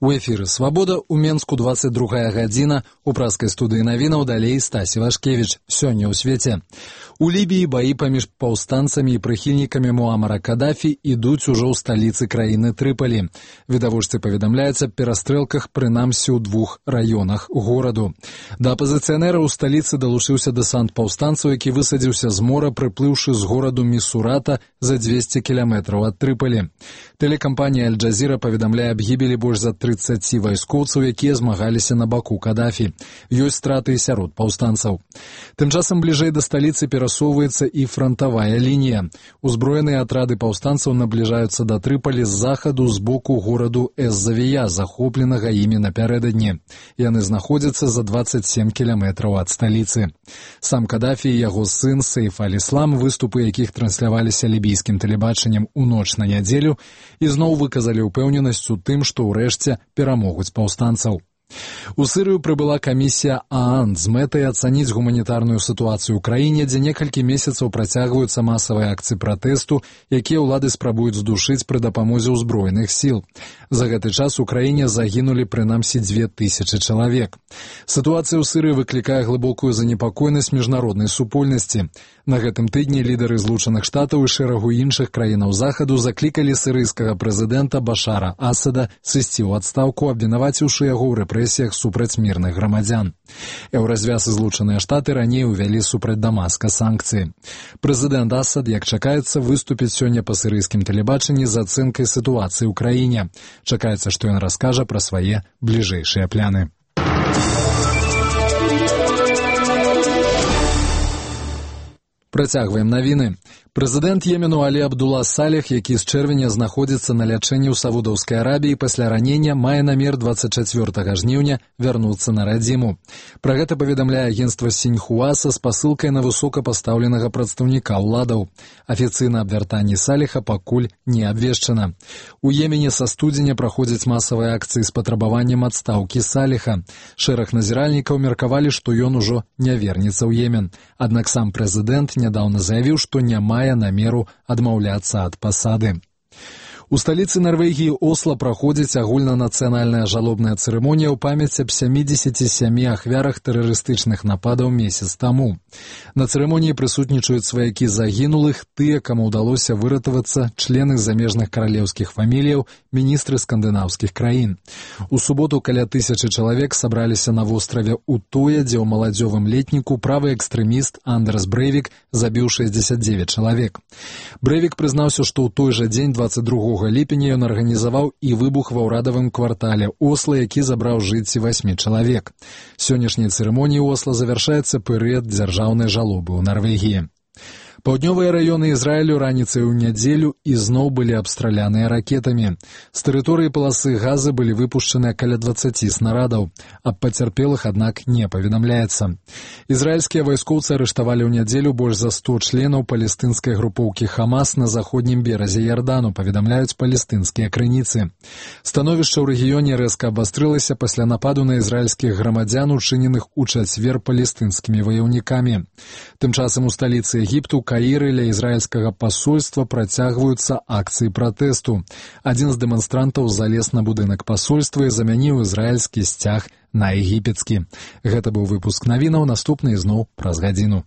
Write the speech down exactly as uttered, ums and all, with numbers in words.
У эфіры «Свабода» у Менску двадцать другая гадзіна. У праскай студыі навінаў далей Стасі Вашкевіч. Сёння ў свеце. У Лібіі баі паміж паўстанцамі і прыхільнікамі Муамара Кадафі ідуць ужо ў сталіцы краіны Трыпалі. Відавочцы паведамляецца аб перастрэлках прынамсі ў двух раёнах гораду. Да апазіцыянера ў сталіцы далучыўся дэсант паўстанцаў, які высадзіўся з мора, прыплыўшы з гораду Місурата за дзвесце кіламетраў ад Трыпалі. Тэлекампанія Аль-Джазіра паведамляе аб гібелі больш за трыццаці вайскоўцаў, якія змагаліся на баку Кадафі. Ёсць страты і сярод паўстанцаў. Тым часам бліжэй да сталіцы перасоўваецца і франтавая лінія. Узброеныя атрады паўстанцаў набліжаюцца да Трыпалі з захаду з боку гораду Эз-Завія, захопленага імі напярэдадні. Яны знаходзяцца за дваццаць сем кіламетраў ад сталіцы. Сам Кадафі і яго сын Сейф аль-Іслам, выступы якіх трансляваліся лібійскім тэлебачаннем у ноч на нядзелю, ізноў выказалі ўпэўненасць у тым, што ўрэшце перамогуць паўстанцаў. У Сырыю прыбыла камісія ААН з мэтай ацаніць гуманітарную сітуацыю ў краіне, дзе некалькі месяцаў працягваюцца масавыя акцыі пратэсту, якія ўлады спрабуюць здушыць пры дапамозе ўзброеных сіл. За гэты час у краіне загінулі прынамсі дзве тысячы чалавек. Сітуацыя ў Сырыі выклікае глыбокую занепакоенасць міжнароднай супольнасці. На гэтым тыдні лідары Злучаных Штатаў і шэрагу іншых краінаў захаду заклікалі сірыйскага прэзідэнта Башара Асада сысці ў адстаўку, абвінаваціўшы яго ў рэпрэсіях супраць мірных грамадзян. Еўразвяз і Злучаныя Штаты раней увялі супраць Дамаска санкцыі. Прэзідэнт Асад, як чакаецца, выступіць сёння па сірыйскім тэлебачанні з ацэнкай сітуацыі ў краіне. Чакаецца, што ён раскажа пра свае бліжэйшыя пляны. Працягваем навіны. Прэзідэнт Йемену Алі Абдула Салех, які з чэрвеня знаходзіцца на лячэнні ў Саудаўскай Арабіі пасля ранення, мае намер дваццаць чацвёртага жніўня вярнуцца на радзіму. Пра гэта паведамляе агенцтва Сіньхуа са спасылкай на высокапастаўленага прадстаўніка ўладаў. Афіцыйна аб вяртанні Салеха пакуль не абвешчана. У Йемене са студзеня праходзяць масавыя акцыі з патрабаваннем адстаўкі Салеха. Шэраг назіральнікаў меркавалі, што ён ужо не вернецца ў Йемен. Аднак сам прэзідэнт нядаўна заявіў, што не мае намеру адмаўляцца ад пасады. У сталіцы Нарвегіі Осла праходзіць агульнанацыянальная жалобная цырымонія ў памяць аб сямідзесяці сямі ахвярах тэрарыстычных нападаў месяц таму. На цырымоніі прысутнічаюць сваякі загінулых, тыя, каму ўдалося выратавацца, члены замежных каралеўскіх фаміліяў, міністры скандынаўскіх краін. У суботу каля тысячы чалавек сабраліся на востраве Утоя, дзе ў маладзёвым летніку правы экстрэміст Андерс Брэйвік забіў шэсцьдзесят дзевяць чалавек. Брэйвік прызнаўся, што ў той жа дзень дваццаць другога ліпеня ён арганізаваў і выбух ва ўрадавым квартале Осла, які забраў жыцці васьмі чалавек. Сённяшняй цырымоніі Осла завяршаецца перыяд дзяржаўнай жалобы ў Нарвегіі. Паўднёвыя раёны Ізраілю раніцай у нядзелю ізноў былі абстраляныя ракетамі. З тэрыторыі паласы Газы былі выпушчаныя каля дваццаці снарадаў. Аб пацярпелых, аднак, не паведамляецца. Ізраільскія вайскоўцы арыштавалі ў нядзелю больш за сто членаў палестынскай групоўкі Хамас на заходнім беразе Ярдану, паведамляюць палестынскія крыніцы. Становішча ў рэгіёне рэзка абвастрылася пасля нападу на ізраільскіх грамадзян, учыненых у чацвер палестынскімі ваяўнікамі. Тым часам у сталіцы Егіпту Каіры ля ізраільскага пасольства працягваюцца акцыі пратэсту. Адзін з дэманстрантаў залез на будынак пасольства і замяніў ізраільскі сцяг на егіпецкі. Гэта быў выпуск навінаў, наступны ізноў праз гадзіну.